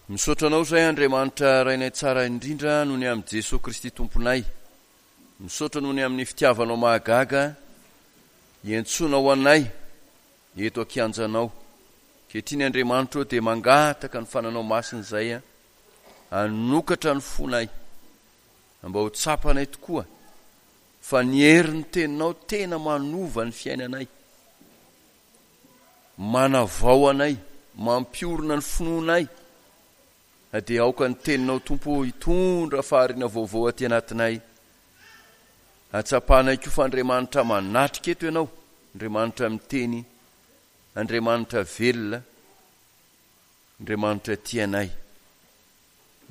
Misaotra Anao izahay Andriamanitra Rainay tsara indrindra noho ny amin'i Jesoa Kristy Tomponay. Misaotra noho ny amin'ny fitiavanao mahagaga iantsoanao anay eto an-kianjanao. Ankehitriny Andriamanitra ô dia mangataka ny fananao masina izay hanokatra ny fonay mba ho tsapanay tokoa fa ny herin'ny teninao tena manova ny fiainanay. Manavao anay, mampiorina ny finoanay, dia aoka ny Teninao Tompo ô hitondra fahariana vaovao aty anatinay. Hatsapanay koa fa Andriamanitra manatrika eto Ianao, Andriamanitra miteny, Andriamanitra velona, Andriamanitra tia anay,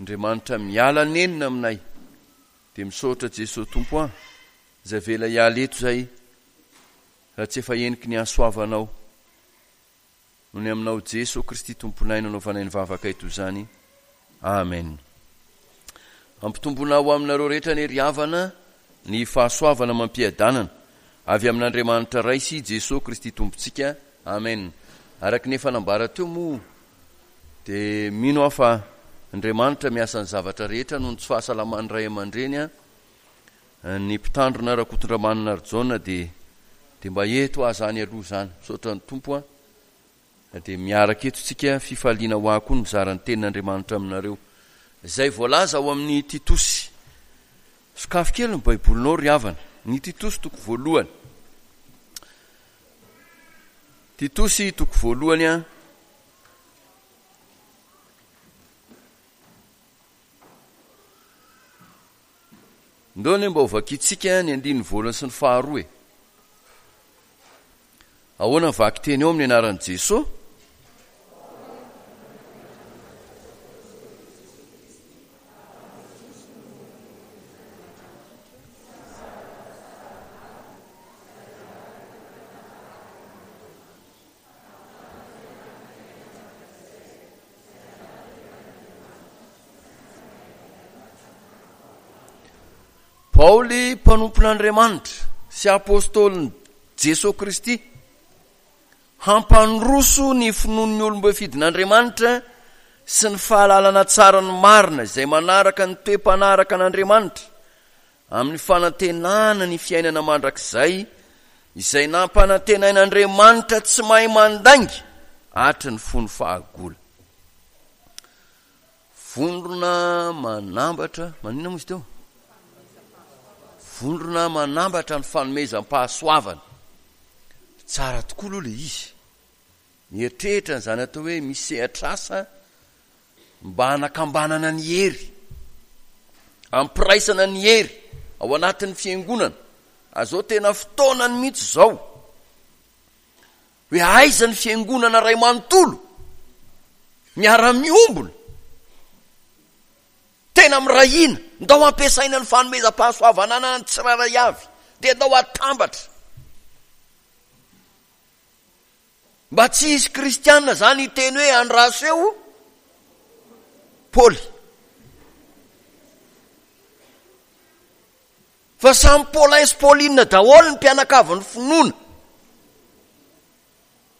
Andriamanitra miala nenina aminay. Dia misaotra Jesoa Tompo an, izay avela hiala eto izay. Raha tsy efa heniky ny hasoavanao noho ny aminao Jeso Kristy Tomponay no anaovanay ny vavakay toy izany. Amen. Ampitomboina ho aminareo rehetra anie ry havana ny fahasoavana amam-piadanana avy amin'Andriamanitra Ray sy Jeso Kristy Tompontsika. Amen. Araka ny efa nambara teo moa dia mino aho fa Andriamanitra miasa ny zavatra rehetra noho ny tsy fahasalaman'ny ray aman-dreny an. Ny mpitandrina Rakotondramanana Harijaona dia dia mba eto aho zany aloha zany. Misaotra ny Tompo a. Dia miaraka eto tsika, fifaliana ho ahy koa ny mizara ny tenin'Andriamanitra aminareo. Izay voalaza ao amin'ny Titosy. Sokafy kely ny Baibolinao ry havana. Ny Titosy toko voalohany. Titosy toko voalohany a. Ndao anie mba ho vakintsika ny andininy voalohany sy ny faharoa e. Ahoana ny vakiteny ao amin'ny anaran'i Jesoa? Paoly mpanompon'Andriamanitra sy apôstôlin'i Jesoa Kristy, hampandroso ny finoan'ny olom-boafidin'Andriamanitra sy ny fahalalana tsara ny marina izay manaraka ny toe-panaraka an'Andriamanitra amin'ny fanantenana ny fiainana mandrakizay izay nampanantenain'Andriamanitra tsy mahay mandainga hatry ny fony fahagola. Vondrona manambatra, maninona moa izy teo? Vondrona manambatra ny fanomezam-pahasoavana. Tsara tokoa aloha ilay izy. Mieritreritra an'izany atao hoe misy sehatr'asa mba hanakambanana ny hery, hampiraisana ny hery ao anatin'ny fiangonana. Azao tena fotoanany mihitsy izao hoe aiza ny fiangonana ray manontolo miara-miombona, tena miray hina, ndao hampiasaina ny fanomezam-pahasoavana ananan'ny tsirairay avy, dia ndao hatambatra. Mba tsy hisy kristiana zany hiteny hoe andraso eo Paoly. Fa samy Paulin sy Pauline daholo ny mpianakavin'ny finoana.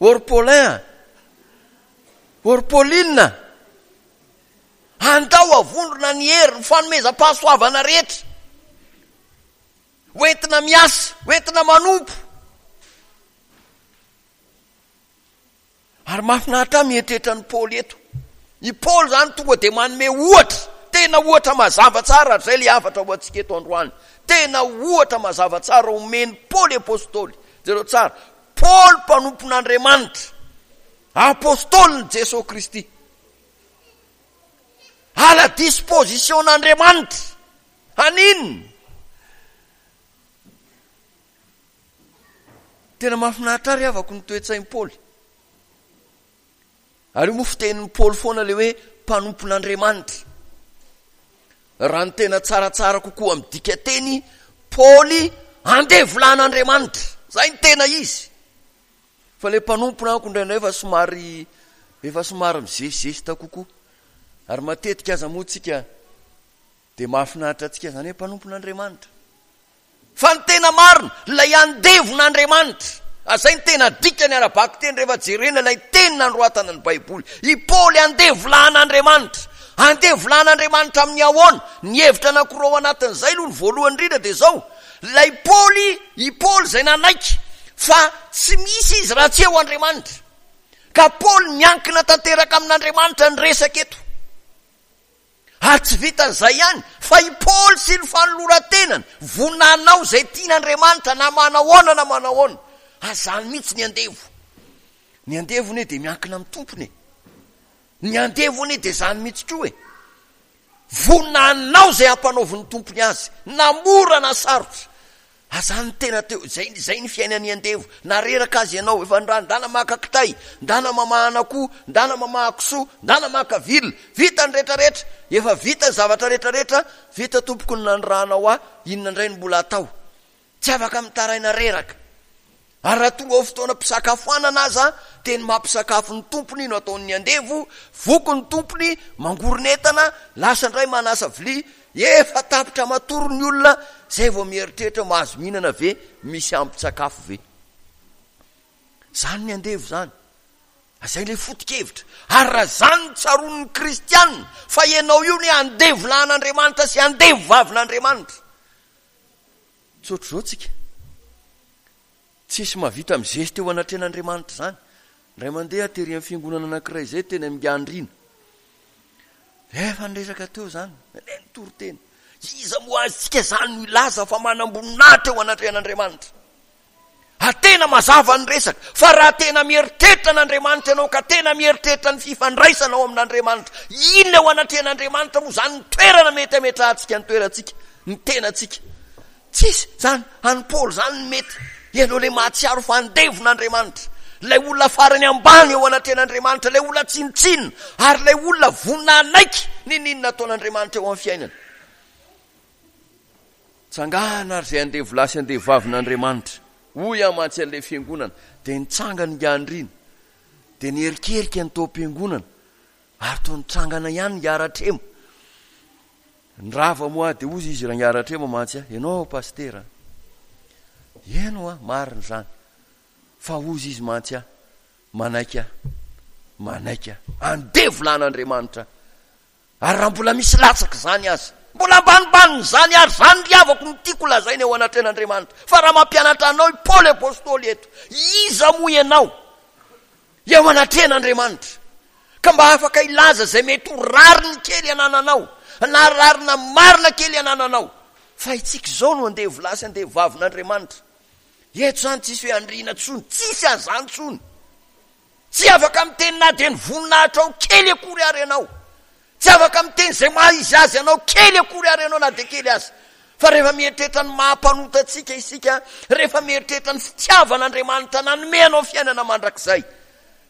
Ô ry Paulin a! Ô ry Pauline a! Andao havondrona ny hery, ny fanomezam-pahasoavana rehetra. Hoentina miasa, hoentina manompo. Ary mahafinaritra ahy mieritreritra an'i Paoly eto. I Paoly izany tonga dia manome ohatra, tena ohatra mazava tsara, ary izay ilay hafatra ho antsika eto androany. Tena ohatra mazava tsara omen'i Paoly Apostoly. Jereo tsara, Paoly mpanompon'Andriamanitra, Apostolin'i Jesoa Kristy. À la disposition-n'Andriamanitra. Haninona? Tena mahafinaritra ahy ry havako ny toe-tsain'i Paoly. Ary io moa fitenin'i Paoly foana ilay hoe mpanompon'Andriamanitra. Raha ny tena tsaratsara kokoa amin'ny dikateny, Paoly andevolan'Andriamanitra. Izay ny tena izy. Fa ilay mpanompona amiko indraindray efa somary efa somary mizesizesta kokoa. Ary matetika aza moa tsika dia mahafinaritra antsika izany hoe mpanompon'Andriamanitra. Fa ny tena marina, ilay andevon'Andriamanitra. Izay no tena dikany ara-bakiteny rehefa jerena ilay teny nanoratana ny Baiboly. I Paoly andevolahin'Andriamanitra. Andevolahin'Andriamanitra amin'ny ahoana? Ny hevitra anankiroa ao anatin'izay aloha, ny voalohany indrindra dia izao, ilay Paoly, i Paoly izay nanaiky fa tsy misy izy raha tsy eo Andriamanitra. Ka Paoly miankina tanteraka amin'Andriamanitra ny resaka eto. Ary tsy vitan'izay ihany, fa i Paoly sy ny fanoloran-tenany, vonona hanao izay tian'Andriamanitra na manahoana na manahoana. Ary izany mihitsy ny andevo. Ny andevo anie dia miankina amin'ny tompony e. Ny andevo anie dia izany mihitsy koa e. Vonona hanao izay ampanaovin'ny tompony azy, na mora na sarotra. Aza ny tena teo, izay, izay ny fiainan'ny andevo. Na reraka aza ianao, efa ndra, ndana maka kitay, ndana mamahana akoho, ndana mamaha kisoa, ndana maka vil, vita ny retraretra, efa vita ny zavatra retraretra, vita tompoko ny nanirahanao ahy, inona indray no mbola atao? Tsy afaka mitaraina reraka. Ary raha tonga ao fotoanam-pisakafoanana aza, dia ny mampisakafo ny tompony no ataon'ny andevo, voky ny tompony, mangoron'entana, lasa indray manasa vilia, efa tapitra matory ny olona, izay vao mieritreritra mahazo mihinana ve, misy ampin-tsakafo ve? Izany ny andevo izany. Izay ilay foto-kevitra. Ary raha izany no tsaroan'ny kristiana, fa ianao io ny andevo lahin'Andriamanitra sy andevo vavin'Andriamanitra. Tsy ohatr'izao tsika. Tsisy mahavita mizesta eo anatrehan'Andriamanitra izany. Indray mandeha tery amin'ny fiangonana anankiray izay teny Amingandriana. Efa niresaka teo izany, nandeha nitory teny. Iza moa azontsika izany no hilaza fa manam-boninahitra eo anatrehan'Andriamanitra? Ary tena mazava ny resaka, fa raha tena mieritreritra an'Andriamanitra ianao, ka tena mieritreritra ny fifandraisana ao amin'Andriamanitra, inona eo anatrehan'Andriamanitra moa izany ny toerana mety hametrahantsika ny toerantsika, ny tenantsika? Tsisy izany, an'i Paoly izany ny mety. Ianao ilay mahatsiaro fa andevon'Andriamanitra, ilay olona farany ambany eo anatrehan'Andriamanitra, ilay olona tsinontsinona, ary ilay olona vonona hanaiky n'inon'inona ataon'Andriamanitra eo amin'ny fiainany. Tsangana ary izay andevolahy sy andevovavin'Andriamanitra, hoy aho mantsy an'ilay fiangonana. Dia nitsangana ingahy Andriana, dia niherikerika ny tao am-piangonana, ary toa nitsangana ihany ingahy Ratrema. Nirava moa aho, dia hozy izy, Rangahy Ratrema mantsy aho, ianao pasitera an! Eny hoa, marina izany, fa hozy izy mantsy aho, manaiky aho, manaiky aho, andevolahin'Andriamanitra aho. Ary raha mbola misy latsaka izany aza, mbola ambanimbanin'izany ary izany ry havako no tiako lazaina eo anatrehan'Andriamanitra, fa raha mampianatra anao i Paoly Apostoly eto, iza moa ianao eo anatrehan'Andriamanitra, ka mba afaka hilaza izay mety ho rariny kely anananao, na rarina marina kely anananao, fa itsika izao no andevo lahy sy andevo vavin'Andriamanitra. Eto izany tsisy hoe andriana intsony, tsisy an'izany intsony. Tsy afaka miteny na dia ny voninahitrao kely akory ary ianao. Tsy afaka miteny izay maha izy azy anao kely akory ary ianao na dia kely aza. Fa rehefa mieritreritra ny maha mpanota antsika isika, rehefa mieritreritra ny fitiavan'Andriamanitra nanome anao fiainana mandrakizay,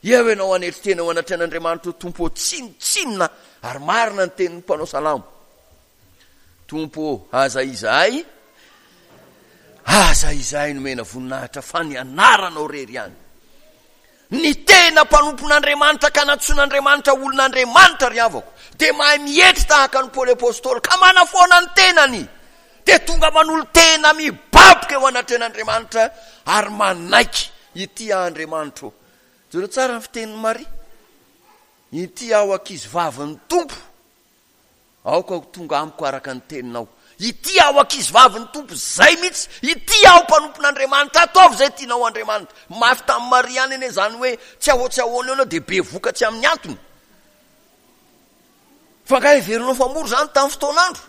eo ianao hanetry tena eo anatrehan'Andriamanitra ho Tompo ô, tsinontsinona ary marina ny tenin'ny mpanao salamo. Tompo ô, aza izahay, aza izahay nomena voninahitra fa ny anaranao rery ihany. Ny tena mpanompon'Andriamanitra ka nantsoin'Andriamanitra olon'Andriamanitra ry havako, dia mahay mietry tahaka an'i Paoly Apostoly ka manafoana ny tenany, dia tonga manolo-tena mibaboka eo anatrehan'Andriamanitra ary manaiky, Ity aho Andriamanitro ô. Jereo tsara ny fitenin'i Maria, Ity aho ankizivavin'ny Tompo. Aoka ho tonga amiko araka ny teninao. Ity aho ankizivavin'ny Tompo, izay mihitsy. Ity aho mpanompon'Andriamanitra, ataovy izay tianao Andriamanitra. Mafy tamin'i Maria ihany anie izany hoe tsy ahoa tsy ahoana eo ianao dia bevoka tsy amin'ny antony. Fa angaha heverinao fa mora izany tamin'ny fotoan'andro?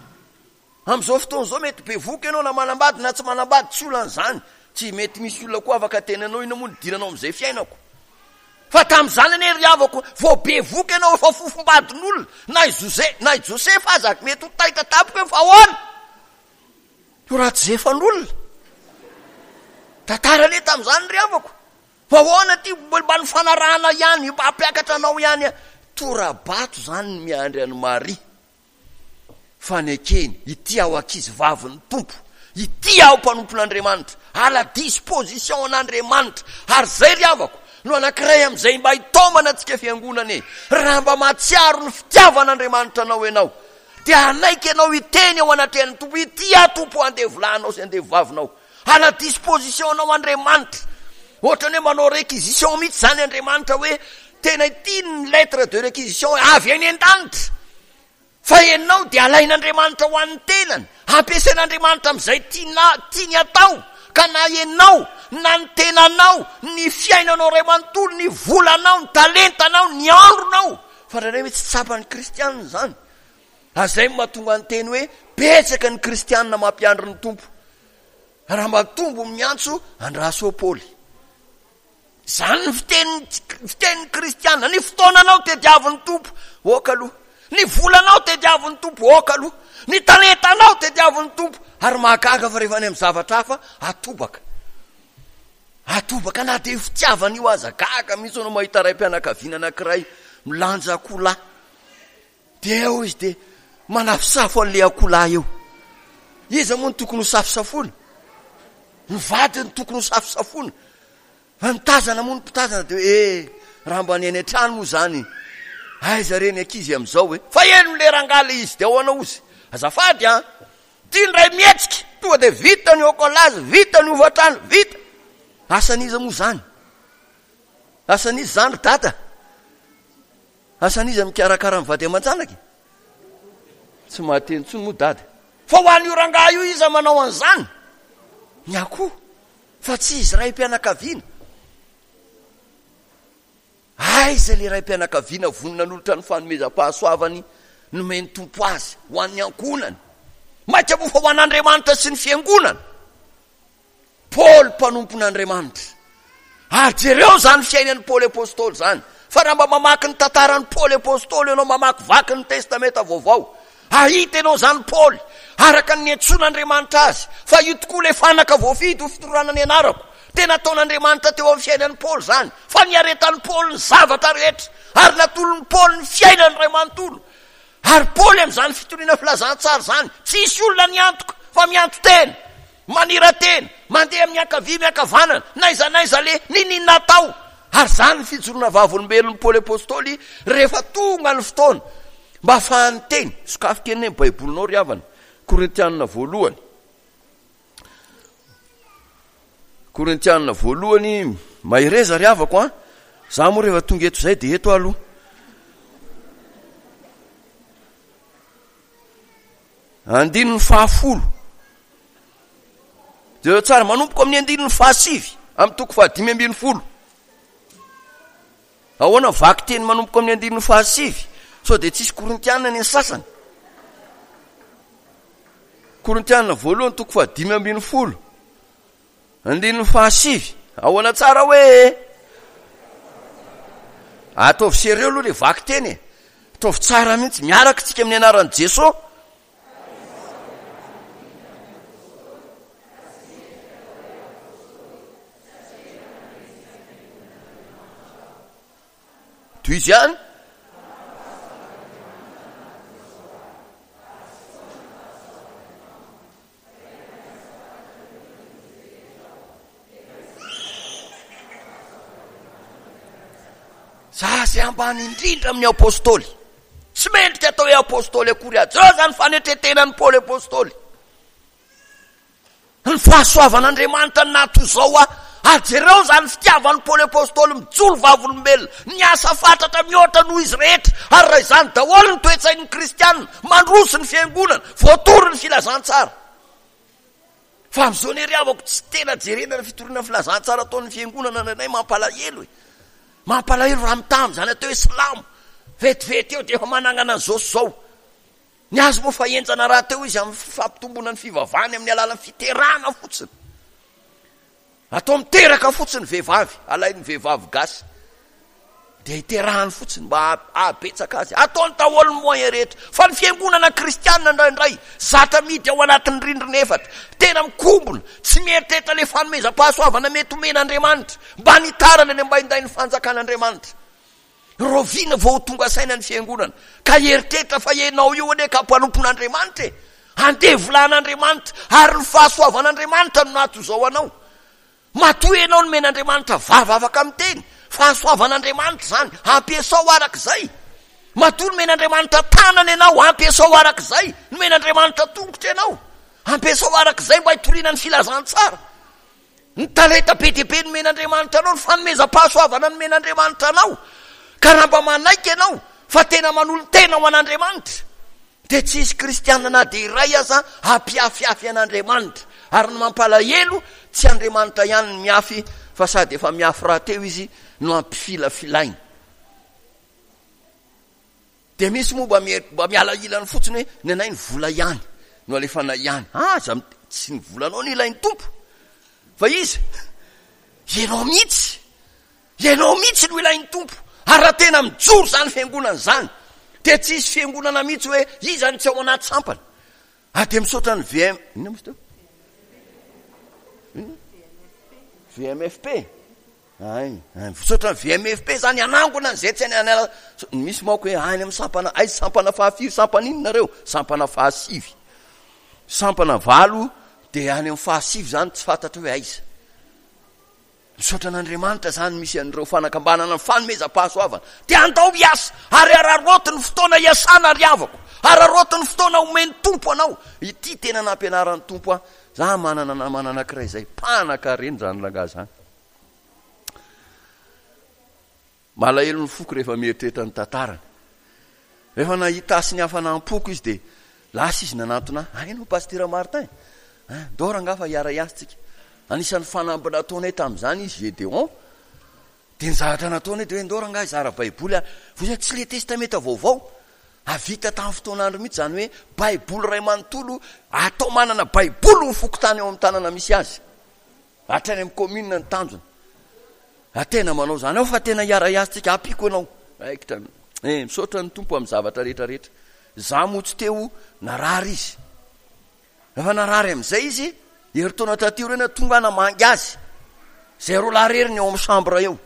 Amin'izao fotoana izao mety bevoka ianao na manambady na tsy manambady, tsy olana izany. Tsy mety misy olona koa afaka teny anao inona moa nidiranao amin'izay fiainako. Fa tamin'izany anie ry havako, vao bevoka ianao efa fofombadin'olona, na i Jose, na i Josefa aza mety ho taitra tampoka hoe fa ahoana? Io raha tsy zefan'olona. Tantara anie tamin'izany ry havako. Fa ahoana ity, mba nifanarahana ihany, mba hampiakatra anao ihany. Tora-bato izany ny miandry an'i Maria. Fanekeny, ity aho ankizy vavin'ny Tompo, ity aho mpanompon'Andriamanitra, à la disposition an'Andriamanitra, ary izay ry havako no anankiray amin'izay mba hitaomana antsika fiangonana e, raha mba mahatsiaro ny fitiavan'Andriamanitra anao ianao, dia hanaiky ianao hiteny eo anatrehan'ny Tompo, ity aho Tompo andevolahinao sy andevovavinao, à la disposition anao Andriamanitra. Ohatran'ny hoe manao réquisition mihitsy izany Andriamanitra hoe tena ity ny lettre de réquisition avy any an-danitra. Fa ianao dia alain'Andriamanitra ho an'ny tenany, ampiasain'Andriamanitra amin'izay tiana, tiany atao, ka na ianao, na ny tenanao, ny fiainanao iray manontolo, ny volanao, ny talentanao, ny andronao. Fa indraindray hoe tsy tsapan'ny kristianina izany. Ary izay no mahatonga ny teny hoe betsaka ny kristianina mampiandry ny Tompo. Raha mba tombo miantso andraso Paoly. Izany ny fiteny fitenin'ny kristiana. Ny fotoananao tediavin'ny Tompo, ok aloha. Ny volanao tediavin'ny Tompo, ok aloha. Ny talentanao tediavin'ny Tompo. Ary mahagaga fa rehefa any amin'ny zavatra hafa, atobaka. Atobaka na dia io fitiavana io aza. Gaga mihitsy ianao mahita raim-pianakaviana anankiray milanja akoholahy. Dia eo izy dia manafosafo an'ilay akoholahy eo. Iza moa no tokony ho safosafoana? Ny vadiny no tokony ho safosafoana. Fa ny tazana moa ny mpitazana dia hoe eh, raha mba ny any an-trano moa izany, aiza re ny ankizy amin'izao e? Fa heno le rangahy le izy dia ahoana ozy? Azafady an! Ty indray mihetsika, tonga dia vita ny hôkolazy, vita ny hofantrano, vita. Asan'iza moa izany? Asan'iza izany ry dada? Asan'iza mikarakara ny vady aman-janaka e? Tsy mahateny intsony moa dada. Fa ho an'io rangahy io iza manao an'izany? Ny akoho. Fa tsy izy raim-pianakaviana. Aiza ilay raim-pianakaviana vonona hanolotra ny fanomezam-pahasoavany nomen'ny Tompo azy ho an'ny ankohonany? Mainka moa fa ho an'Andriamanitra sy ny fiangonana. Paoly mpanompon'Andriamanitra. Ary jereo izany fiainan'i Paoly Apostoly izany. Fa raha mba mamaky ny tantaran'i Paoly Apostoly ianao, mamakivaky ny Testamenta Vaovao, hahita ianao izany Paoly, araka ny niantsoan'Andriamanitra azy, fa io tokoa ilay fanaka voafidy ho fitorana ny anarako. Tena nataon'Andriamanitra teo amin'ny fiainan'i Paoly izany, fa niaretan'i Paoly ny zavatra rehetra, ary natolon'i Paoly ny fiainany iray manontolo. Ary Paoly amin'izany fitoriana filazantsara izany, tsisy olona niantoka, fa mianto-tena. Manira-tena, mandeha amin'ny ankavia miankavanana, n'aiza n'aiza aleha, n'inon'inona atao. Ary izany ny fijoroana vavolombelon'i Paoly Apostoly rehefa tonga ny fotoana mba hahafahany miteny. Sokafy kely anie ny Baibolinao ry havana. Korintianina voalohany. Korintianina voalohany, mahereza ry havako an. Za moa rehefa tonga eto izay dia eto aho aloha. Andininy fahafolo. Jereo tsara, manomboka amin'ny andininy fahasivy, amin'ny toko fahadimy ambin'ny folo. Ahoana vaky teny manomboka amin'ny andininy fahasivy? Sao dia tsisy korintiana ny sasany? Korintiana voalohany toko fahadimy ambin'ny folo. Andininy fahasivy, ahoana tsara hoe? Ataovy sérieux aloha le vakiteny e. Ataovy tsara mihitsy, miaraka tsika amin'ny anaran'i Jeso. Tohizo ihany. Za zay ambany indrindra amin'ny apostoly. Tsy mendrika atao hoe apostoly akory aho. Jereo zany fanetretenan'i Paoly apostoly. Ny fahasoavan'Andriamanitra no naha toy izao ahy. Ary jereo izany fitiavan'i Paoly apostoly mijoro vavolombelona, niasa fatratra mihoatra noho izy rehetra. Ary raha izany daholo ny toe-tsain'ny kristiana, mandroso ny fiangonana, voatory ny filazantsara. Fa amin'izao anie ry havako tsy tena jerena ny fitoriana ny filazantsara ataon'ny fiangonana indraindray mampalahelo e. Mampalahelo raha mitaha amin'izany atao hoe silamo. Vetivety eo dia efa manangana an'izao sy izao. Ny azy moa fa henjana rahateo izy amin'ny fampitomboana ny fivavahany amin'ny alalan'ny fiterahana fotsiny. Atao miteraka fotsiny vehivavy, alain'ny vehivavy gasy. Dia iterahany fotsiny mba hahabetsaka azy. Ataony daholo ny moyen rehetra. Fa ny fiangonana kristianina indraindray, zatra mihidy ao anatin'ny rindrina efatra. Tena mikombona, tsy mieritreritra ilay fanomezam-pahasoavana mety omen'Andriamanitra mba nitarana ny ambaindain'ny fanjakan'Andriamanitra. Rahoviana vao ho tonga saina ny fiangonana ka hieritreritra fa ianao io anie ka mpanompon'Andriamanitra e! Andevolan'Andriamanitra ary ny fahasoavan'Andriamanitra no naha toy izao anao. Matoa ianao nomen'Andriamanitra vava afaka miteny, fahasoavan'Andriamanitra izany, ampiasao araka izay. Matoa nomen'Andriamanitra tanana ianao, ampiasao araka izay. Nomen'Andriamanitra tongotra ianao, ampiasao araka izay mba hitoriana ny filazantsara. Ny talenta be dia be nomen'Andriamanitra anao, ny fanomezam-pahasoavana nomen'Andriamanitra anao, ka raha mba manaiky ianao fa tena manolo-tena ho an'Andriamanitra, dia tsy hisy kristiana na dia iray aza hampiafiafy an'Andriamanitra. Ary ny mampalahelo, tsy Andriamanitra ihany no miafy, fa sady efa miafy rahateo izy no ampifilafilaina. Dia misy moa mba mba miala ilany fotsiny hoe ny anay ny vola ihany no alefanay ihany. Aza tsy ny volanao no ilain'ny Tompo fa iza? Ianao mihitsy. Ianao mihitsy no ilain'ny Tompo. Ary raha tena mijoro izany fiangonana izany dia tsy hisy fiangonana mihitsy hoe iza no tsy ao anaty sampana. Ary dia misaotra ny VM inona moa izy teo? Inona? VMFP. Hay, hay, misaotra ny VMFP zany hanangona an'izay tsy any any misy manko hoe any amin'ny sampana aiza sampana fahafiry sampana inona nareo? Sampana fahasivy. Sampana valo dia any amin'ny fahasivy zany tsy fantatra hoe aiza. Misaotra an'Andriamanitra zany misy an'ireo fanakambanana ny fanomezam-pahasoavana. Dia andao hiasa ary araraoty ny fotoana hiasana ry havako. Araraoty ny fotoana omen'ny Tompo anao. Ity tena nampianaran'ny Tompo ahy. Za manana namana anankiray izay mpanakarena izany rangahy izany. Malahelo ny foko rehefa mieritreritra ny tantarany. Rehefa nahita ahy sy ny hafanam-poko izy dia lasa izy nanantona ahy. Hay ianao Pasitera Martin? Hein, ndao rangahy fa hiara-hiasa tsika. Anisan'ny fanamby nataonay tamin'izany izy Gédéon. Dia ny zavatra nataonay dia hoe ndao rangahy hizara Baiboly aho. Voa tsy le Testamenta Vaovao. Vita tamin'ny fotoan'andro mihitsy izany hoe Baiboly iray manontolo atao manana Baiboly ny fokontany ao amin'ny tanana misy azy. Hatrany amin'ny commune ny tanjona. Raha tena manao izany aho fa tena hiara-hiasa tsika, ampiako ianao. Raikitra. Eh, misaotra ny Tompo amin'ny zavatra rehetra rehetra. Za moa tsy teo, narary izy. Rehefa narary amin'izay izy, herintaona taty aoriana tonga aho namangy azy. Zay roa lahy irery ny ao amin'ny chambre eo.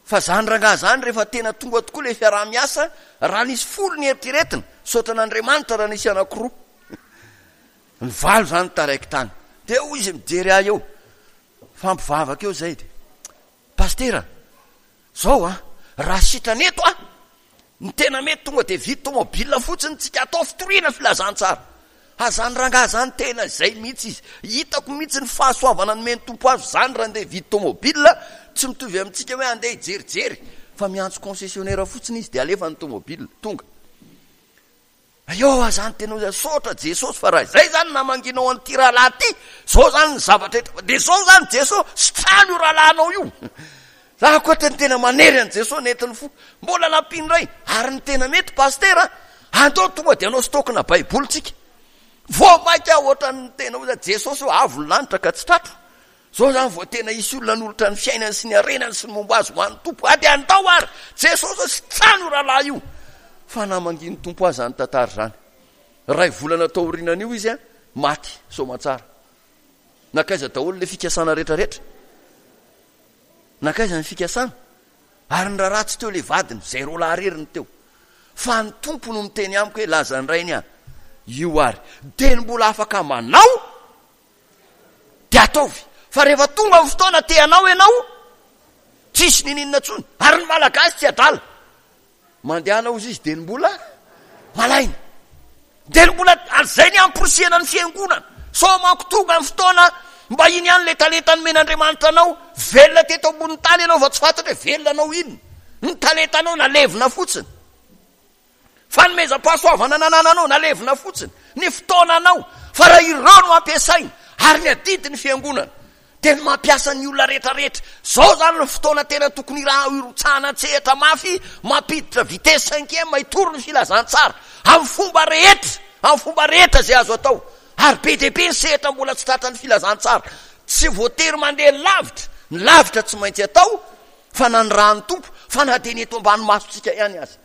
Fa zany rangahy zany rehefa tena tonga tokoa ilay fiaraha-miasa, raha nisy folo ny eritreretina, misaotra an'Andriamanitra raha nisy anankiroa. Ny valo zany taraiky tany. Dia hoy izy mijery ahy eo, mifampivavaka eo zay dia, Pasitera, zao an, raha sitrana eto aho, ny tena mety tonga dia vidy tomobile fotsiny tsika atao fitoriana filazantsara. Ha zany rangahy zany tena izay mihitsy izy. Hitako mihitsy ny fahasoavana nomen'ny Tompo azy zany raha andeha hividy tomobile, tsy mitovy amintsika hoe andeha hijerijery, fa miantso concessionnaire fotsiny izy dia alefa ny tomobile, tonga. Eo aho zany tena hoe saotra Jesosy fa raha izay zany namanginao an'ity rahalahy ity, zao zany ny zavatra eto, dia zao zany Jesosy, sitrano io rahalahinao io. Za koa tena tena manery an'i Jesosy nentin'ny fo. Mbola nampiany indray, ary ny tena mety pasitera, andao tonga dia hanao stock-na baiboly tsika. Vao mainka ohatran'ny tena hoe Jesosy io avo ny lanitra ka tsy tratro. Zao zany vao tena hisy olona hanolotra ny fiainany sy ny harenany sy ny momba azy ho an'ny Tompo. A dia andao ary! Jesosy ô, sitrano io rahalahy io! Fa namangian'ny Tompo azy izany tantara izany. Iray volana tao aorianan'io izy a, maty soamantsara. Nankaiza daholo ilay fikasana rehetrarehetra? Nankaiza ny fikasana? Ary ny raharaha tsy teo ilay vadiny, izay roa lahy irery no teo. Fa ny Tompo no miteny amiko hoe lazan-drainy aho. Io ary. Dia ny mbola afaka manao Dia ataovy. Fa rehefa tonga ny fotoana te hanao ianao, tsisy niniana intsony. Ary ny Malagasy tsy adala. Mandehana hozy izy dia ny mbola malaina. Dia ny mbola, ary izay ny hamporisihana ny fiangonana. Sao manko tonga ny fotoana mba iny ihany ilay talenta nomen'Andriamanitra anao, velona teto ambonin'ny tany ianao fa tsy fantatra hoe velona anao inona. Ny talentanao nalevina fotsiny. Fanomezam-pahasoavana nanananao nalevina fotsiny ny fotoananao fa raha ireo no ampiasaina ary ny adidy ny fiangonana dia ny mampiasa ny olona rehetra rehetra. Zao zany ny fotoana tena tokony hirotsahana an-tsehatra mafy mampiditra vitesse cinquième hitory ny filazantsara amin'ny fomba rehetra, amin'ny fomba rehetra izay azo atao. Ary be dia be ny sehatra mbola tsy tratran'ny filazantsara. Tsy voatery mandeha lavitra, ny lavitra tsy maintsy atao fa nanirahan'ny Tompo fa na dia ny eto ambany masontsika ihany aza.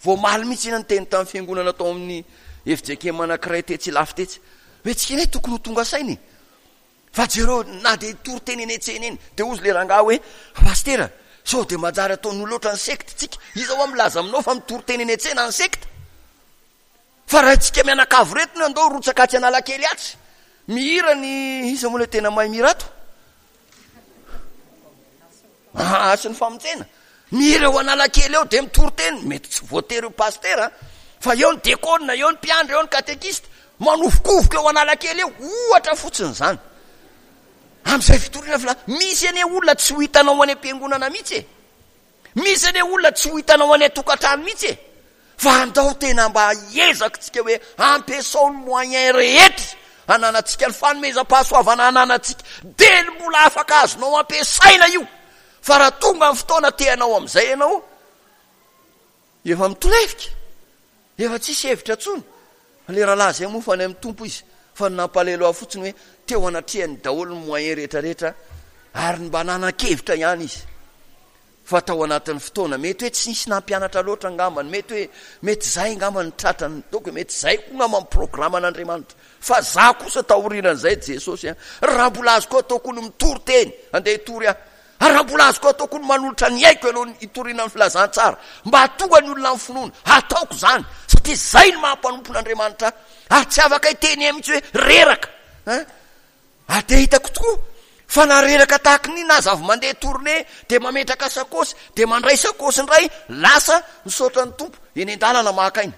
Vao omaly mihitsy iny niteny tamin'ny fiangonana tao amin'ny fjkm anankiray tetsy Ilafy tetsy hoe tsika anie tokony ho tonga saina e! Fa jereo na dia hitory teny eny an-tsena eny dia hozy le rangahy hoe Pasitera sao dia manjary ataon'olona ohatran'ny sekta tsika, iza hoa milaza aminao fa mitory teny eny an-tsena ny sekta? Fa raha tsika mianakavy reto no andao hirotsaka atsy Analakely atsy mihira ny iza moa le tena mahay mihira ato? Aa sy ny famonjena. Mihira eo Analakely eo dia mitory teny, mety tsy voatery ho pasitera fa eo ny dekona, eo ny mpiandry, eo ny katekista, manovokovoka eo Analakely eo, ohatra fotsiny izany. Amin'izay fitoriana fila, misy anie olona tsy ho hitanao any am-piangonana mihitsy e. Misy anie olona tsy ho hitanao any an-tokantrano mihitsy e. Fa andao tena mba hiezaka tsika hoe ampiasao ny moyen rehetra ananantsika, ny fanomezam-pahasoavana ananantsika, dia ny mbola afaka azonao ampiasaina io. Fa raha tonga ny fotoana te hanao amin'izay ianao, efa mitolefika, efa tsisy hevitra intsony. Ilay rahalahy izay moa fa any amin'ny Tompo izy, fa ny nampalahelo ahy fotsiny hoe teo anatrehany daholo ny moyen rehetra rehetra ary ny mba nanan-kevitra ihany izy. Fa tao anatin'ny fotoana, mety hoe tsy nisy nampianatra loatra angambany, mety hoe mety izay angamba ny tratrany, donc mety izay koa angamba ny programan'Andriamanitra. Fa za kosa taorianan'izay Jesosy an, raha mbola azoko atao koa ny mitory teny, andeha hitory aho. Ary raha mbola azoko atao koa ny manolotra ny aiko alohan'ny hitoriana ny filazantsara, mba hahatonga ny olona amin'ny finoana, hataoko izany, satria izay no maha mpanompon'Andriamanitra ahy. Ary tsy afaka hiteny ahy mihitsy hoe reraka. Hein? Ary dia hitako tokoa fa na reraka tahaka ny inona aza avy mandeha tournée dia mametraka sakaosy, dia mandray sakaosy indray, lasa misaotra ny Tompo, eny an-dalana maka aina.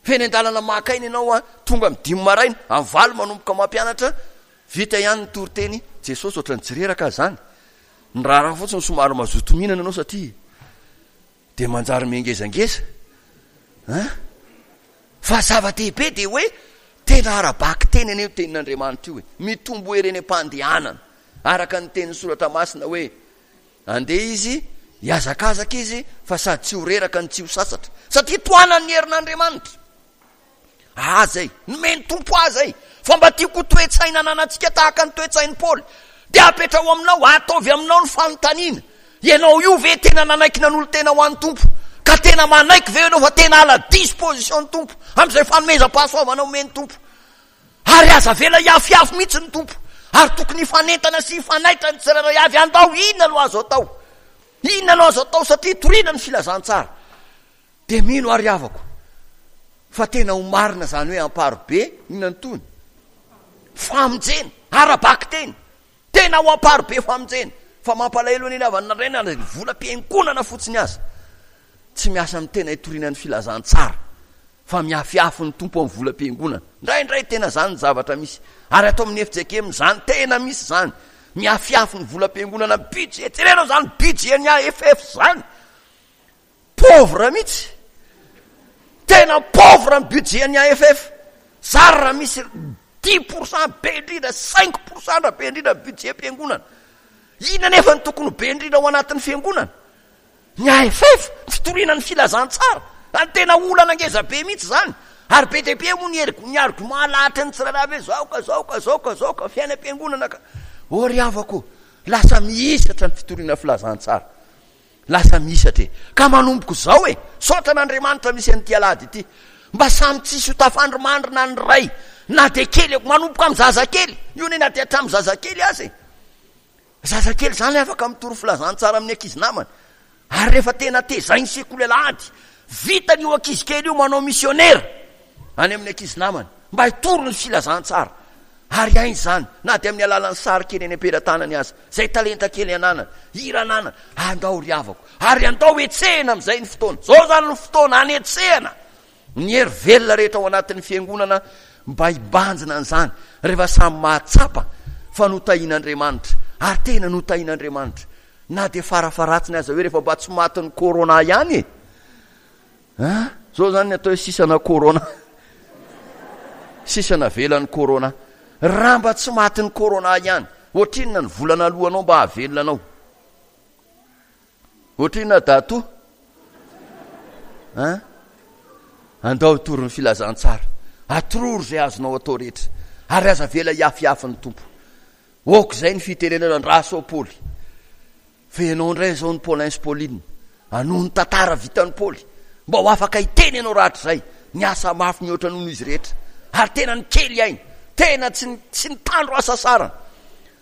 Fa eny an-dalana maka aina ianao an, tonga amin'ny dimy maraina, amin'ny valo manomboka mampianatra, vita ihany ny toriteny, Jesosy ohatran'ny tsy reraka aza izany. Ny raharaha fotsiny somary mazoto mihinana ianao satria dia manjary mihengezangeza. Hein? Fa zava-dehibe dia hoe tena ara-bakiteny anie io tenin'Andriamanitra io e. Mitombo hery eny am-pandehanana. Araka ny tenin'ny soratra masina hoe Andeha izy, hihazakazaka izy, fa sady tsy ho reraka no tsy ho sasatra, satria tohanan'ny herin'Andriamanitra. Aza e! Nomen'ny Tompo aza e! Fa mba tiako ho toe-tsaina ananantsika tahaka ny toe-tsain'i Paoly. Dia apetraho aminao, ataovy aminao ny fanontaniana, Ianao io ve tena nanaiky nanolo-tena ho an'ny Tompo? Ka tena manaiky ve ianao fa tena à la disposition ny Tompo amin'izay fanomezam-pahasoavana omen'ny Tompo? Ary aza avela hiafiafy mihitsy ny Tompo. Ary tokony hifanentana sy hifanaitra ny tsirairay avy. Andao, inona no azo atao? Inona no azo atao satria toriana ny filazantsara? Dia mino ary havako fa tena ho marina izany hoe amparobe, inona ny tohiny? Famonjena, ara-bakiteny. Tena ho amparobe famonjena. Fa mampalahelo anie ny havana nandray na ny volam-piangonana fotsiny aza. Tsy miasa amin'ny tena hitoriana ny filazantsara. Fa miafiafy ny Tompo amin'ny volam-piangonana. Indraindray tena izany ny zavatra misy. Ary ato amin'ny FJKM izany tena misy izany. Miafiafy ny volam-piangonana budget. Jerenao izany budget ny AFF izany. Pauvre mihitsy. Tena pauvre ny budget ny AFF. Zary raha misy 10% be indrindra, 5% raha be indrindra ny budget mpiangonana. Inona nefa ny tokony ho be indrindra ao anatin'ny fiangonana? Ny AFF, ny fitoriana ny filazantsara. Ary tena olana ngeza be mihitsy izany. Ary be dia be moa ny hery, ny argument alahatry ny tsirairay avy hoe zao ka zao ka zao ka zao ka fiainam-piangonana ka. Ô ry havako ô, lasa mihisatra ny fitoriana filazantsara. Lasa mihisatra e. Ka manomboka izao e, saotra an'Andriamanitra misy an'ity alahady ity. Mba samy tsisy ho tafandrimandrina ny ray, na dia kely, manomboka amin'ny zazakely. Io anie na dia hatramin'ny zazakely aza e. Zazakely izany afaka mitory filazantsara amin'ny ankizy namany. Ary rehefa tena tezain'ny sekoly alahady, vitany io ankizy kely io manao misionera any amin'ny ankizy namany mba hitory ny filazantsara. Ary hainy izany na dia amin'ny alalan'ny sary kely eny am-pelatanany aza, izay talenta kely ananany, hira ananany. Andao ry havako, ary andao hetsehina amin'izay ny fotoana. Izao izany no fotoana hanetsehana Ny hery velona rehetra ao anatin'ny fiangonana mba hibanjina an'izany rehefa samy mahatsapa fa notahian'Andriamanitra ary tena notahian'Andriamanitra na dia farafaharatsiny aza hoe rehefa mba tsy matin'ny corona ihany e! An! Zao zany ny atao hoe sisana corona. Sisa navelan'ny corona. Raha mba tsy matin'ny corona ihany, ohatrinona ny vola naloanao mba hahavelona anao? Ohatrinona Datoa? An? Andao hitory ny filazantsara. Atororo izay azonao atao rehetra. Ary aza avela hiafiafy ny Tompo. Ok izay ny fitenenana andraso Paoly. Fa ianao indray izao ny Paulin sy Pauline. Hanohy ny tantara vitan'i Paoly. Mba ho afaka hiteny ianao rahatrizay. Niasa mafy mihoatra noho izy rehetra. Ary tena nikely aina. Tena tsy, tsy nitandro hasasarana.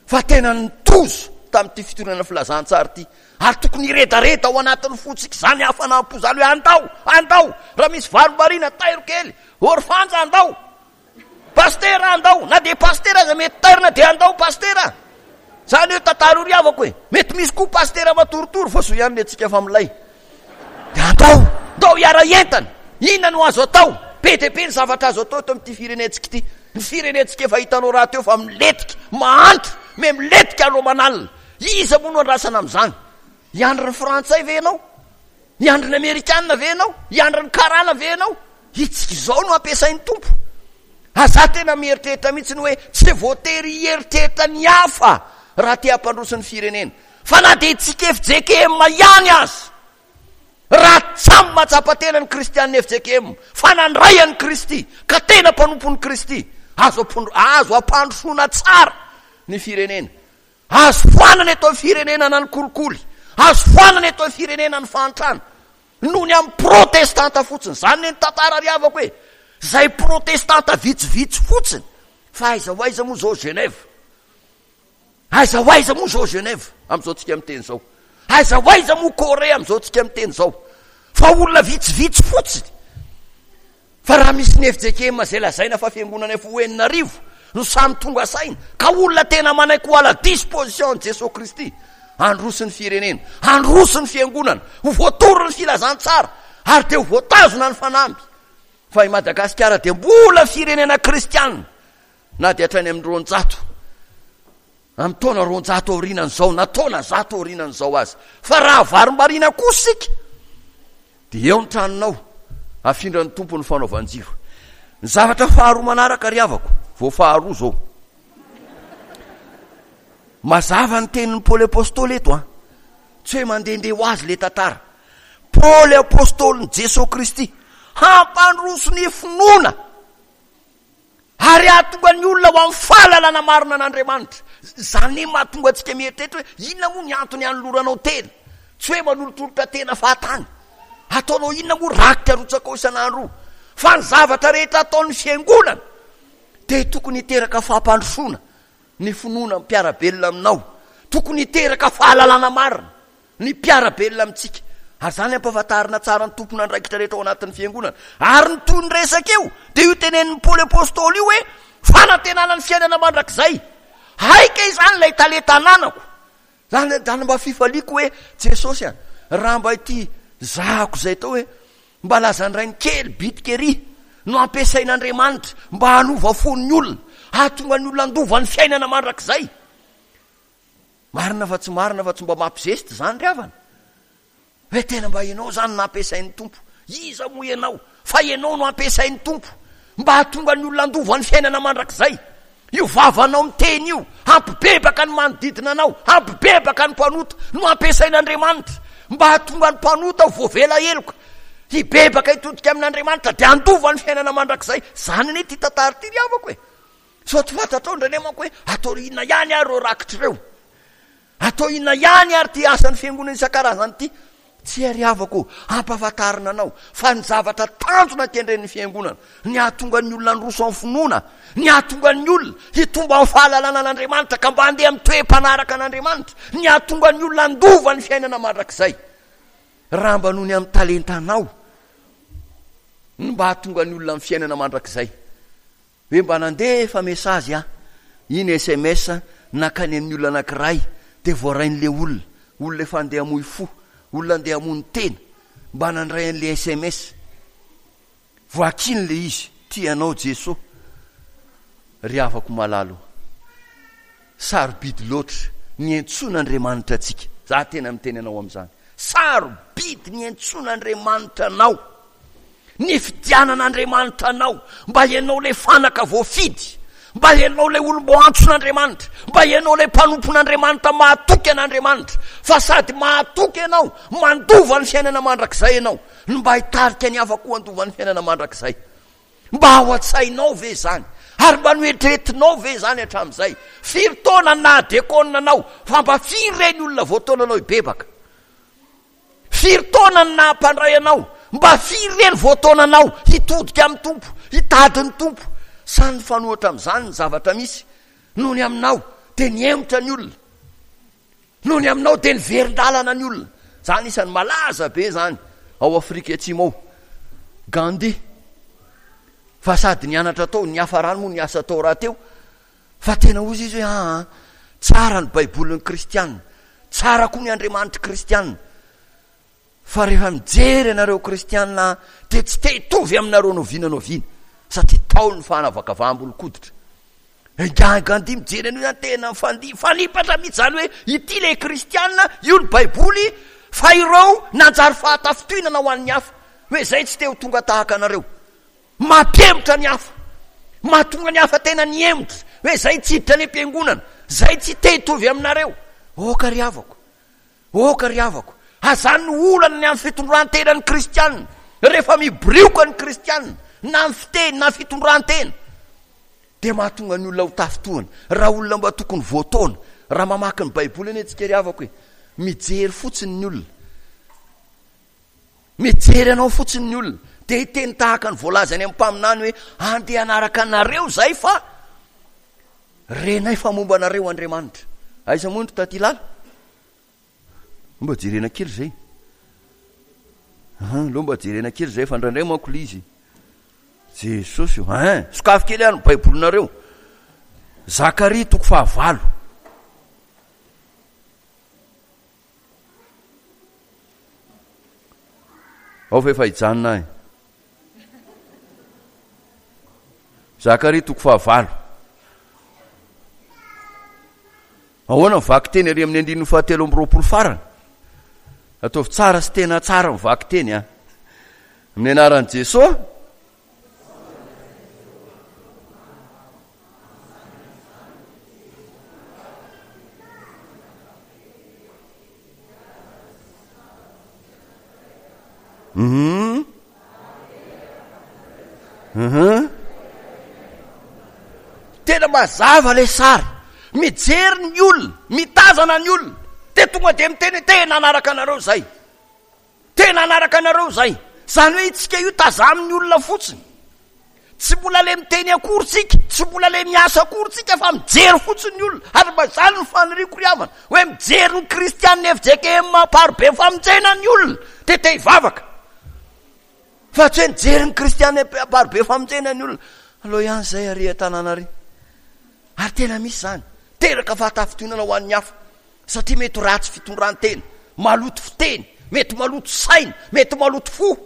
Fa tena nitozo tamin'ity fitoriana filazantsara ity, ary tokony hiredareda ao anatin'ny fontsika izany hafanam-po izany hoe andao, andao, raha misy varimbariana tairo kely, orfanja andao, pastera andao, na dia pastera aza mety tairina dia andao pastera. Zany hoe tantara io ry havako e, mety misy koa pastera matoritory fa soa ihany ny antsika fa milay. Dia andao, ndao hiara-hientana, inona no azo atao? Be dia be ny zavatra azo atao eto amin'ity firenentsika ity. Ny firenentsika efa hitanao rahateo fa milentika, mahantra, Me milentika andro aman'alina. Iza moa no andrasana amin'izany? Hiandry ny frantsay ve ianao? Hiandry ny amerikana ve ianao? Hiandry ny karana ve ianao? Itsika izao no ampiasain'ny Tompo. Aza tena mieritreritra mihitsy ny hoe tsy voatery hieritreritra ny hafa raha te hampandroso ny firenena. Fa na dia itsika fjkm ihany aza, raha tsamy mahatsapa tena ny kristianina fjkm fa nandray an'i Kristy ka tena mpanompon'i Kristy, azo azo ampandrosoana tsara ny firenena. Azo foanana eto amin'ny firenena na ny kolikoly, azo foanana eto amin'ny firenena ny fahantrana. Noho ny amin'ny protestanta fotsiny. Izany ne ny tantara ry havako e. Izay protestanta vitsivitsy fotsiny. Fa aiza ho aiza moa izao Genève? Aiza ho aiza moa izao Genève amin'izao tsika miteny izao? Aiza ho aiza moa Corée amin'izao tsika miteny izao? Fa olona vitsivitsy fotsiny. Fa raha misy ny fjkm izay lazaina fa fiangonana efa ho 6000 no samy tonga saina ka olona tena manaiky ho à la disposition an'i Jesoa Kristy handroso ny firenena, handroso ny fiangonana, ho voatory ny filazantsara ary dia ho voatazona ny fanamby fa i Madagasikara dia mbola firenena kristiana na dia hatrany amin'ny 200 amin'ny taona 200 aorianan'izao na taona 100 aorianan'izao aza. Fa raha varimbariana kosa isika dia eo ny tranonao, afindran'ny Tompo ny fanaovan-jiro. Ny zavatra faharoa manaraka ry havako, vao faharoa izao. Mazava ny tenin'i Paoly Apostoly eto an. Tsy hoe mandehandeha ho azy le tantara. Paoly Apostolin'i Jesoa Kristy hampandroso ny finoana. Ary hahatonga ny olona ho amin'ny fahalalana marina an'Andriamanitra. Izany no mahatonga antsika mieritreritra hoe inona moa ny antony hanoloranao tena? Tsy hoe manolotolotra tena fahatany. Ataonao inona moa rakitra arotsakao isan'andro io? Fa ny zavatra rehetra ataon'ny fiangonana dia tokony hiteraka fampandrosoana ny finoana mpiara-belona aminao. Tokony hiteraka fahalalana marina. Ny mpiara-belona amintsika. Ary izany ampahafantarina tsara ny tompon'andraikitra rehetra ao anatin'ny fiangonana. Ary ny tohin'ny resaka eo dia io tenenin'i Paoly Apostoly io hoe fanantenana ny fiainana mandrakizay. Hay kay izany ilay talenta ananako. Izany izany mba fifaliako hoe Jesosy a, raha mba ity zahako izay atao hoe mba lazan-drainy kely bitika ery no ampiasain'Andriamanitra mba hanova fon'ny olona, hahatonga ny olona handova ny fiainana mandrakizay. Marina fa tsy marina fa tsy mba mampizesta izany ry havana. Hoe tena mba ianao izany no ampiasain'ny Tompo. Iza moa ianao? Fa ianao no ampiasain'ny Tompo mba hahatonga ny olona handova ny fiainana mandrakizay. Io vavanao miteny io, hampibebaka ny manodidina anao, hampibebaka ny mpanota, no ampiasain'Andriamanitra mba hahatonga ny mpanota ho voavela heloka, hibebaka hitodika amin'Andriamanitra dia handova ny fiainana mandrakizay. Izany anie ity tantara ity ry havako e. Sao tsy fantatrao indraindray manko hoe atao inona ihany ary ireo rakitra ireo? Atao inona ihany ary ity asan'ny fiangonana isan-karazany ity? Tsia ry havako ô, ampahafantarina anao fa ny zavatra tanjona kendren'ny fiangonana, ny hahatonga ny olona handroso amin'ny finoana, ny hahatonga ny olona hitombo amin'ny fahalalana an'Andriamanitra ka mba handeha amin'ny toe-panaraka an'Andriamanitra, ny hahatonga ny olona handova ny fiainana mandrakizay. Raha mba noho ny amin'ny talentanao no mba hahatonga ny olona amin'ny fiainana mandrakizay. Hoe mba nandefa message aho, iny sms nankany amin'ny olona anankiray dia voarain'ilay olona, olona efa andeha hamoy fo, olona andeha hamono tena, mba nandray an'ilay sms, voakiny ilay izy, tia anao Jeso, ry havako malala o, sarobidy loatra ny antsoin'Andriamanitra antsika, za tena miteny anao amin'izany, sarobidy ny antsoin'Andriamanitra anao. Nifidianan'Andriamanitra anao mba ianao ilay fanaka voafidy, mba ianao ilay olom-boantson'Andriamanitra, mba ianao ilay mpanompon'Andriamanitra mahatoky an'Andriamanitra, fa sady mahatoky ianao, mandova ny fiainana mandrakizay ianao, no mba hitarika ny hafa koa handova ny fiainana mandrakizay. Mba ao an-tsainao ve izany? Ary mba noeritreretinao ve izany hatramin'izay? Firy taona ny naha-dekona anao, fa mba firy ireny olona voataonanao hibebaka? Firy taona no naha mpandray anao? Mba firy re ny voataona anao hitodika amin'ny Tompo, hitady ny Tompo? Sa nifanohitra amin'izany ny zavatra misy? Noho ny aminao dia nihemotra ny olona. Noho ny aminao dia niverin-dalana ny olona. Izany isan'ny malaza be izany ao Afrika Atsimo ao. Gandhi. Fa sady nianatra tao, niafarany moa niasa tao rahateo. Fa tena hozy izy hoe aa, tsara ny baibolin'ny kristiana, tsara koa ny Andriamanitry kristiana, fa rehefa mijery anareo kristiana aho dia tsy te hitovy aminareo n'oviana n'oviana, satria tao ny fanavakavaham-bolon-koditra. Ingahy Gandhi mijery an'io zany tena mifandihy, mifanipatra mihitsy zany hoe ity le kristiana, io ny baiboly, fa ireo nanjary fahatafintohinana ho an'ny hafa, hoe zay tsy te ho tonga tahaka anareo. Mampihemotra ny hafa, mahatonga ny hafa tena nihemotra, hoe zay tsy hiditra any am-piangonana, zay tsy te hitovy aminareo. Aoka ry havako, Aoka ry havako, azany no olana ny amin'ny fitondran-tenan'ny kristiana. Rehefa mibirioka ny kristiana, na amin'ny fiteny na fitondran-tena, dia mahatonga ny olona ho tafintohina. Raha olona mba tokony voataona, raha mamaky ny Baiboly anie tsika ry havako e, mijery fotsiny ny olona. Mijery anao fotsiny ny olona, dia hiteny tahaka ny voalaza any amin'ny mpaminany hoe, andeha hanaraka anareo izay fa renay fa momba anareo Andriamanitra. Aiza moa ny taty lala? Mba jerena kely izay. Aleo mba jerena kely izay fa indraindray manko ilay izy. Jesosy o, hein, sokafy kely ary ny Baibolinareo. Zakaria toko fahavalo. Ao fa efa hijanona ahy. Zakaria toko fahavalo. Ahoana ny vakiteny ary amin'ny andininy fahatelo amby roapolo farany? Ataovy tsara sy tena tsara ny vakiteny a. Amin'ny anaran'i Jesosy. Uhum. Uhum. Tena mazava ilay sary. Mijery ny olona, mitazana ny olona. Dia tonga dia miteny hoe tena hanaraka anareo izay. Tena hanaraka anareo izay. Izany hoe itsika io tazamin'ny olona fotsiny. Tsy mbola le miteny akory tsika, tsy mbola le miasa akory tsika fa mijery fotsiny ny olona. Ary mba izany no faniriako ry havana, hoe mijery ny kristianina fjkm Amparibe famonjena ny olona, dia te hivavaka. Fa tsy hoe mijery ny kristianina Amparibe famonjena ny olona. Aleo ihany izay ary an-tanàna ary. Ary tena misy izany. Teraka fahatafintohinana ho an'ny hafa. Satria mety ho ratsy fitondran-tena, maloto fiteny, mety maloto saina, mety maloto fo,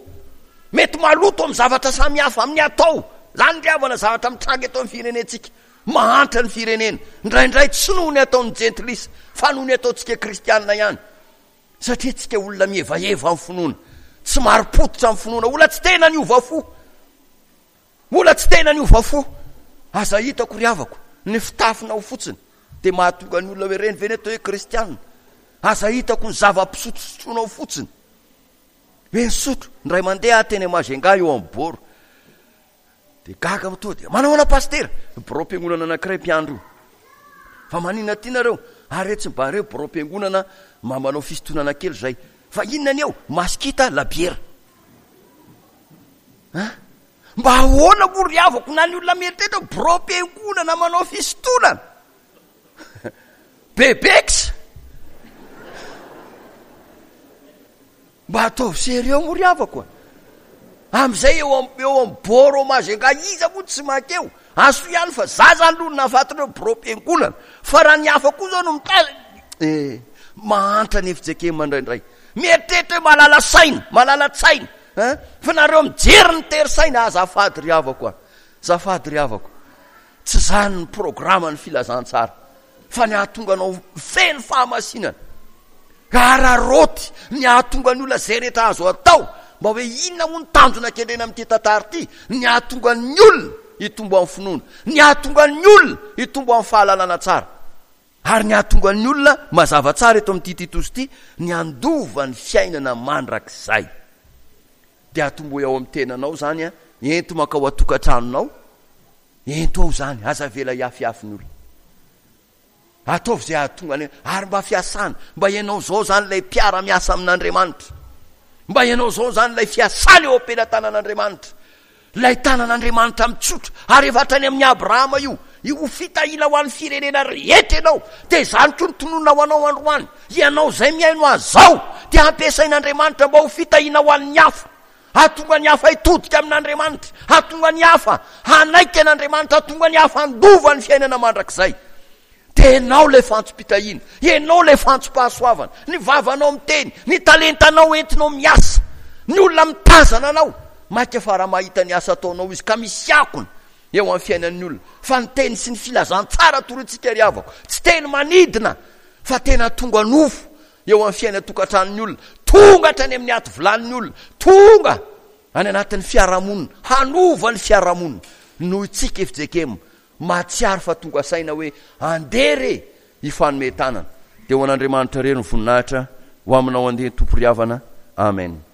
mety maloto amin'ny zavatra samihafa, amin'ny atao. Izany ry havana zavatra mitranga eto amin'ny firenentsika. Mahantra ny firenena. Indraindray tsy noho ny ataon'ny jentilisa, fa noho ny ataontsika kristianina ihany. Satria tsika olona mihevaheva amin'ny finoana, tsy marim-pototra amin'ny finoana, olona tsy tena niova fo. Mbola tsy tena niova fo. Aza hitako ry havako, ny fitafinao fotsiny dia mahatonga ny olona hoe ireny ve ny atao hoe kristiana? Aza hitako ny zava-pisotrosotroinao fotsiny. Hoe nisotro, indray mandeha aho teny Majunga eo amin'ny bord. Dia gaga aho tonga dia manahoana pasitera? Biraom-piangonana anankiray mpiandry io. Fa maninona aty nareo? Ary etsy mba reo biraom-piangonana mba manao fisintonana kely izay. Fa inona ny eo? Masikita, labiera. Hein? Mba ahoana moa ry havako na ny olona mieritreritra hoe biraom-piangonana manao fisintonana? Bebex! Mba ataovy sérieux moa ry havako a! Amin'izay eo am eo amin'ny bord au Majunga iza moa tsy mankeo? Aso ihany fa za zany aloha no nahafaty ireo biraom-piangonana fa raha ny hafa koa zao no mitazana eh mahantra ny fjkm indraindray. Mieritreritra hoe mahalala saina, mahalala tsaina. Hein? Fa nareo mijery ny tery saina, azafady ry havako a. Azafady ry havako. Tsy zany ny programme ny filazantsara. Fa ny hahatonga anao feno fahamasinana. Araraoty ny hahatonga ny olona izay rehetra azo atao. Mba hoe inona moa ny tanjona kendrena amin'ity tantara ity? Ny hahatonga ny olona hitombo amin'ny finoana. Ny hahatonga ny olona hitombo amin'ny fahalalana tsara. Ary ny hahatonga ny olona, mazava tsara eto amin'ity Titosy ity, ny handova ny fiainana mandrakizay. Dia atombohy ao amin'ny tenanao izany an, ento mankao an-tokantranonao, ento ao izany, aza avela hiafiafy ny olona. Ataovy izay hahatonga ny, ary mba fiasana, mba ianao izao izany ilay mpiara-miasa amin'Andriamanitra. Mba ianao izao izany ilay fiasana eo am-pelatanan'Andriamanitra. Ilay tanan'Andriamanitra mitsotra, ary efa hatrany amin'i Abrahama io, io ho fitahiana ho an'ny firenena rehetra ianao, dia izany koa no tononina ho anao androany, ianao izay mihaino azy izao, dia ampiasain'Andriamanitra mba ho fitahiana ho an'ny hafa, hahatonga ny hafa hitodika amin'Andriamanitra, hahatonga ny hafa hanaiky an'Andriamanitra, hahatonga ny hafa handova ny fiainana mandrakizay. Dia ianao ilay fantsom-pitahiana, ianao ilay fantsom-pahasoavana, ny vavanao miteny, ny talentanao entinao miasa, ny olona mitazana anao, mainka fa raha mahita ny asa ataonao izy ka misy akony. eo amin'ny fiainan'ny olona. Fa ny teny sy ny filazantsara torintsika ry havako, tsy teny manidina fa tena tonga nofo eo amin'ny fiainan-tokantranon'ny olona, tonga hatrany amin'ny aty vilanin'ny olona, tonga any anatin'ny fiarahamonina, hanova ny fiarahamonina. Noho itsika fjkm mahatsiaro fa tonga saina hoe andeha re hifanome tanana. Dia ho an'Andriamanitra irery ny voninahitra, ho aminao andeha Tompo ry havana. Amen.